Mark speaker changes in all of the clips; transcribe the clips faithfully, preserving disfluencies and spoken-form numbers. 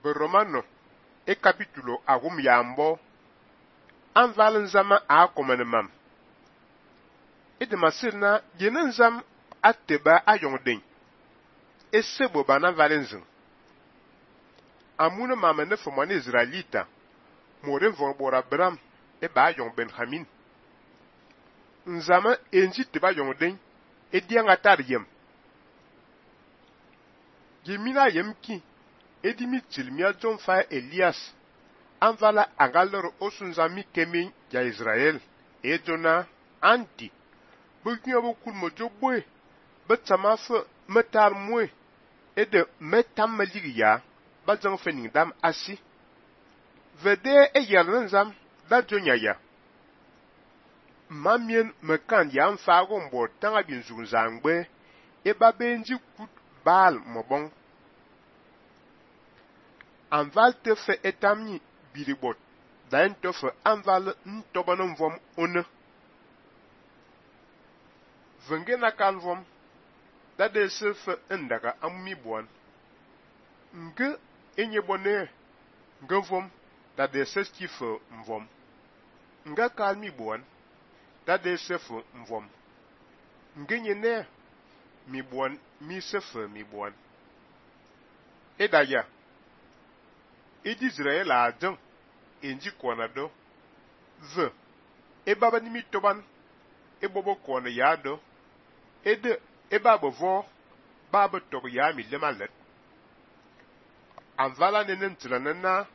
Speaker 1: Be Romano e capítulo agum yambo anval nzama a komene mam. E de masirna yenen nzam ateba ayongden. E sebo bana valenzin. Amuna mama ne fomane Israelita. More von bora Bram e ba yong Benjamin. Nzama enji teba yongden e dianga tar yem. Yemina yem ki e di mitil mia John fa Elias. Anvala angalor osunzami kemin ya Israel. E jona anti. Buknya bukul mojo boy. Betama fe metar mwe. E de metam maligi ya. Bazang fening dam asi. Vede e yernen zam. Da jonya ya. Mamien mekan ya mfago mbo tanga binzun zangbe. E babenji kut bal mobong. Anval te fe etamni biribot. Da en te fe anval ntobanon vom one. Venge na kan vom. Da de se fe endaka ammi buan. Nge enye bone. Nge vom. Da de se ski fe mvom. Nga kalmi buan. Da de se fe mvom. Nge nye ne. Mi buan. Mi se fe mi buan. E da ya. E di Israel a adjan. Enji kwana do. Ve. E baba ni mi toban. E bobo kwana ya do. E de. E baba vo. Baba tobo ya mi lema let. Anvala nenen tilanena.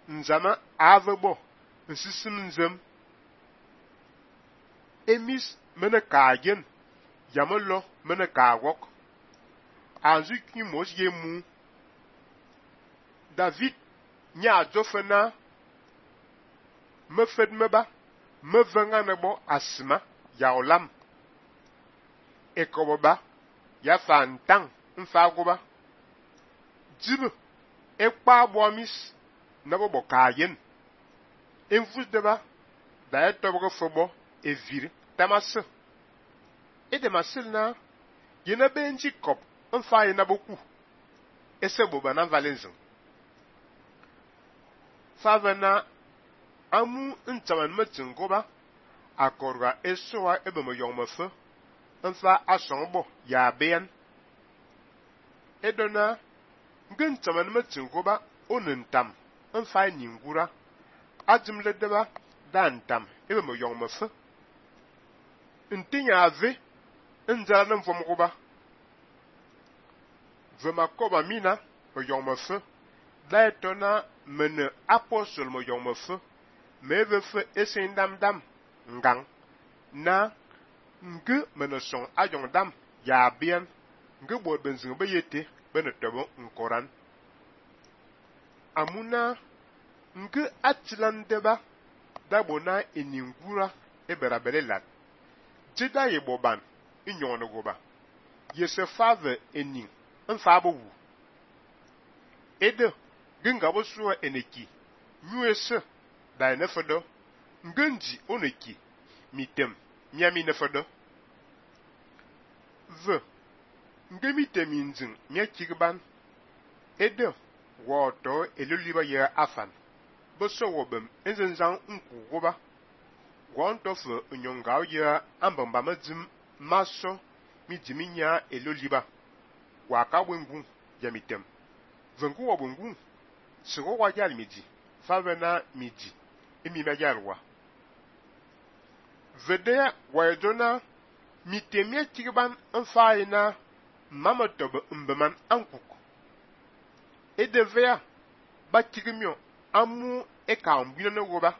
Speaker 1: Nzama avebo. Nsisim nzem. Emis mene kagen. Yamelo mene kawok. Anzu ki mos ye mu. David nya jofena. Me fed meba. Me venga nebo asma. Ya olam. Ekoboba. Ya fantang. Mfagoba. Jibe. Ekpa boamis. Nabo bo kayen. Enfus deba. Da e tobo fobo. E vir. Tamase. E de masil na. Yena benji kop. Mfa yena boku. Ese boba nan valenzin. Favena. Amu ntaman metin goba. Akorga esoa ebe mo yong mefe. Mfa asongbo. Ya beyan. Edona. Ngen taman metin goba. Onentam. Mfa nyingura. Adjimle deba. Dantam. Ebe mo yong mefe. Ntinya ave. Nzala nan vom goba. Vema koba mina. Mo yong mefe. Da etona. Mene apostol mo yong mefe. Me ve fe esen dam dam. Ngang. Na. Nge mene son ayong dam. Ya bien. Nge bod benzing be yete. Bene tobo nkoran. Amuna. Nge atilan deba. Dabona eningura. Ebera bele lat. Jeda ye boban. Inyon goba. Yese fave ening. Nfabo wu. Ede. Gengabo suwa eneki. Nyuese. Da enefedo. Ngenji oneki. Mitem. Miami nefedo. Ve. Nge mitem inzin. Mia kigban. Ede. Woto eloliba ye afan. Boso wobem. Enzenzan nku goba. Wantofe unyongao ye ambamba medzim. Maso. Midimi nya eloliba. Waka wengu. Yamitem. Vengu wa wengu. Sigo wa yal midi. Favena midi. Emi ma yalwa. Vede wa yedona. Mitemye tigban nfaina. Mama tobe mbeman ankuk. E devea. Ba tigimyo. Amu eka mbina ne woba.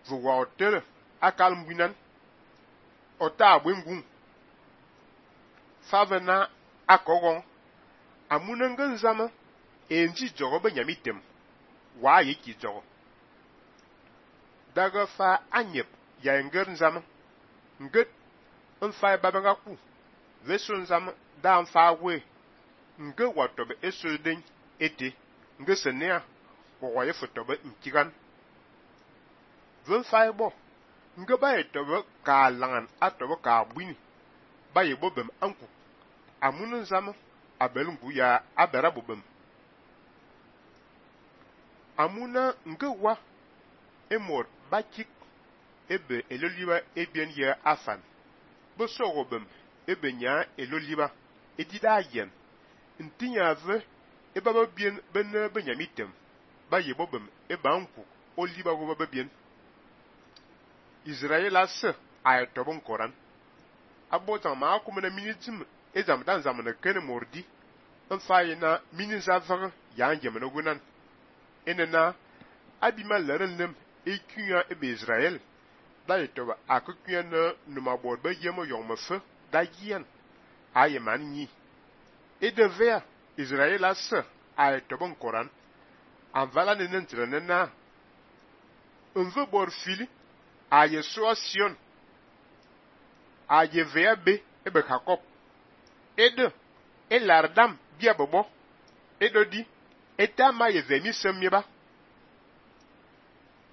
Speaker 1: Vwa otere. Akal mbinan. Ota abwengun. Favena akogon. Amunengen zama. Enji jogo be nyamitem. Wa yiki jogo. Daga fa anyep. Ya enger nzama. Nget. Nfa babanga ku. Veso nzama. Da nfa we. Nge watobe eso den. Ete. Nge senea. Kwa ye fotobe nkigan. Venfa ebo. Nge ba etobe ka langan. Atobe ka bwini. Ba yebo bem anku. Amunen zama. Abelungu ya abera bobem. amuna nge wa emor bakik ebe eloliba ebien ye afan bo sogobem ebe nya eloliba edida yen ntinya ve eba ba bien ben benyamitem ba yebobem eba nku oliba go ba bien Israel as ay tobon koran abota ma akumena minitim ezam dan zamana ken mordi en fayina mini zavre ya ngemeno gunan enena abima lerenlem ekuya ebe Israel da yetoba akukuya na numa bor ba yemo yongme fe da yen aye manni e devea Israel as ay tobon koran an vala ne nentrene na unve bor fili aye soation aye vea be ebe Jacob ede elardam bia bobo edo di eta ma ye vemi semyeba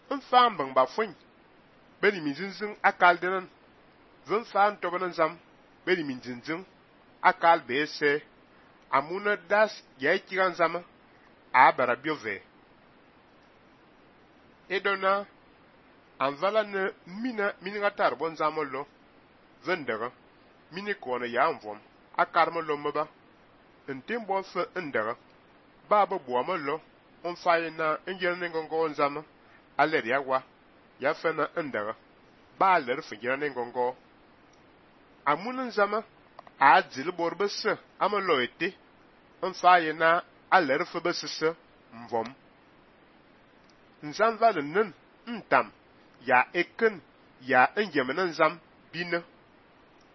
Speaker 1: nfam bang ba fun beni minzinzin akal denan zon fan tobanan zam beni minzinzin akal bese amuna das ye kiran zama a bara biove edona anvala ne mina minigatar bon zamolo vendera mini kona ya anvom akarmo lo mba ntim bon fe ndera baba boama lo on fayina ngene ngongo nzama aler yawa ya fena ndera ba aler fingina ngongo amun nzama a dzil borbese amalo ete on fayina aler fe besese mvom nzam valen ntam ya eken ya engemena nzam bina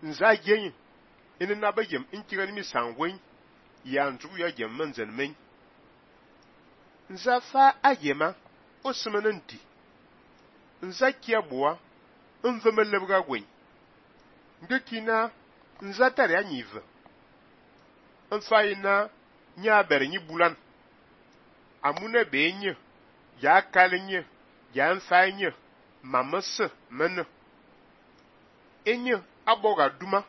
Speaker 1: nza yen ina na bayem inkiran mi sanwen ya nzu ya gem manzen men nza fa ayema osmenanti nza kiaboa nvemelebga gwen ngekina nza tare anyive nfaina nya bernyi bulan amuna benye ya kalenye ya nfainye mamase men enye aboga duma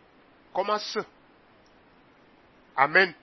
Speaker 1: komase amen.